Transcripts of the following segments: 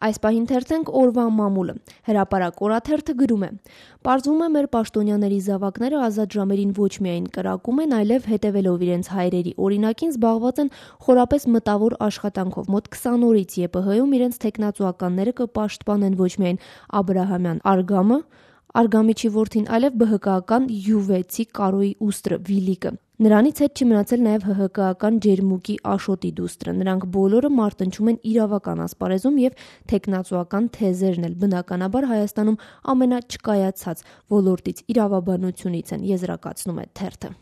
Այս պահին թերթենք օրվա մամուլը։ Հրապարակ օրաթերթը գրում է. «Պարզվում է մեր պաշտոնյաների զավակները ազատ ժամերին ոչ միայն կրակում են, այլև հետևելով իրենց հայրերի օրինակին զբաղված են խորապես մտավոր աշխատանքով։ Մոտ 20 օրից ԵՊՀ-ում իրենց թեկնածուականները կպաշտպանեն ոչ միայն Աբրահամյան Արգամը, Արգամիչի որդին, այլև ԲՀԿ-ական յուվեցի Կարոյի ուստրը Վիլիկը։ Նրանից հետ չի մնացել նաև ՀՀԿ-ական Ջերմուկի Աշոտի դուստրը։ Նրանք բոլորը մարտնչում են իրավական ասպարեզում եւ թեկնածուական թեզերն էլ բնականաբար Հայաստանում ամենաչկայացած ոլորտից իրավաբանությունից են», եզրակացնում է թերթը։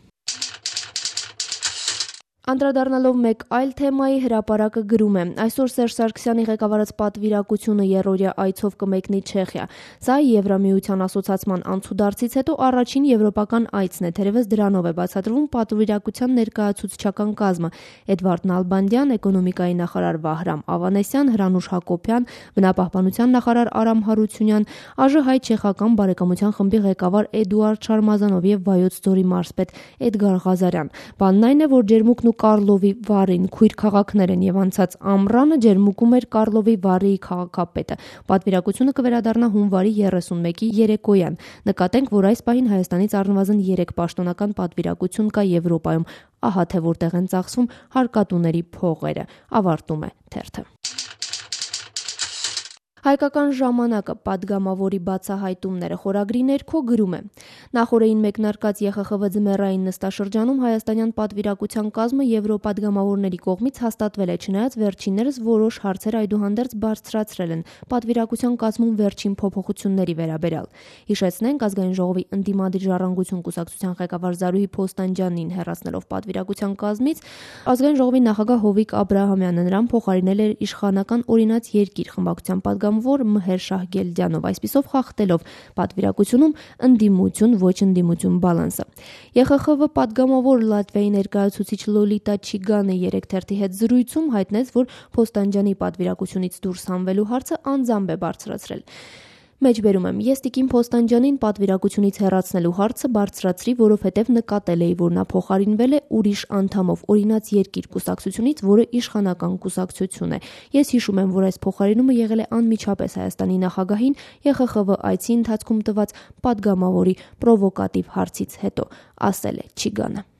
Անդրադառնալով մեկ այլ թեմայի, Հրապարակը գրում է. «Այսօր Սերժ Սարգսյանի ղեկավարած պատվիրակությունը երրորդյա այցով կմեկնի Չեխիա։ Սա Եվրամիության ասոցացման անցուդարձից հետո առաջին եվրոպական այցն է, թերևս դրանով է բացատրվում պատվիրակության ներկայացուցչական կազմը՝ Էդվարդ Նալբանդյան, էկոնոմիկայի նախարար Վահրամ Ավանեսյան, Հրանուշ Հակոբյան, բնապահպանության նախարար Արամ Հարությունյան, ԱԺ-հայ-չեխական բարեկամության խմբի ղեկավար Էդուարդ Շարմազանով եւ Վայոց ձորի մարզպետ Էդգար Ղազարյան։ Բանն այն է, որ Ջերմուկն ու Կարլովի Վարին քույր քաղաքներ են եւ անցած ամռանը Ջերմուկում էր Կարլովի Վարիի քաղաքապետը։ Պատվիրակությունը կվերադառնա հունվարի 31-ի երեկոյան։ Նկատենք, որ այս պահին Հայաստանից առնվազն 3 պաշտոնական պատվիրակություն կա Եվրոպայում։ Ահա թե որտեղ են ծախսվում հարկատուների փողերը», ավարտում է թերթը։ Հայկական ժամանակը պատգամավորի բացահայտումները խորագրի ներքո գրում է. «Նախորդին մեկնարկած ԵԽԽՎ ձմեռային նստաշրջանում հայաստանյան պատվիրակության կազմը եվրոպադգամավորների կողմից հաստատվել է, չնայած վերջիններս որոշ հարցեր այդուհանդերձ բարձրացրել են պատվիրակության կազմում վերջին փոփոխությունների վերաբերյալ։ Հիշեցնենք, Ազգային ժողովի ընդդիմադիր Ժառանգություն կուսակցության ղեկավար Զարուհի Փոստանջյանին հեռացնելով պատվիրակության կազմից, Ազգային ժողովի նախագահ Հովիկ Աբրահամյանը նրան փոխարինել էր իշխանական օրինաց երկիր խմբակցության պատգամավոր Մհեր Շահգիլդյանով, այսպիսով խախտելով պատվիրակությունում ընդդիմություն ոչ ընդդիմություն բալանսը։ ԵԽԽՎ պատգամավոր Լատվիայի ներկայացուցիչ Լոլիտա Չիգանը 3 թերթի հետ զրույցում հայտնեց, որ Փոստանջյանի պատվիրակությունից դուրս հանվելու հարցը անձամբ է բարձրացրել։ Մեջբերում եմ. «Ես տիկին Փոստանջյանին պատվիրակությունից հեռացնելու հարցը բարձրացրի, որովհետև նկատել էի, որ նա փոխարինվել է ուրիշ անդամով օրինաց երկիր կուսակցությունից, որը իշխանական կուսակցություն է։ Ես հիշում եմ, որ այս փոխարինումը եղել է անմիջապես Հայաստանի նախագահին ԵԽԽՎ այցի ընթացքում տված պատգամավորի պրովոկատիվ հարցից հետո», ասել է Չիգանը։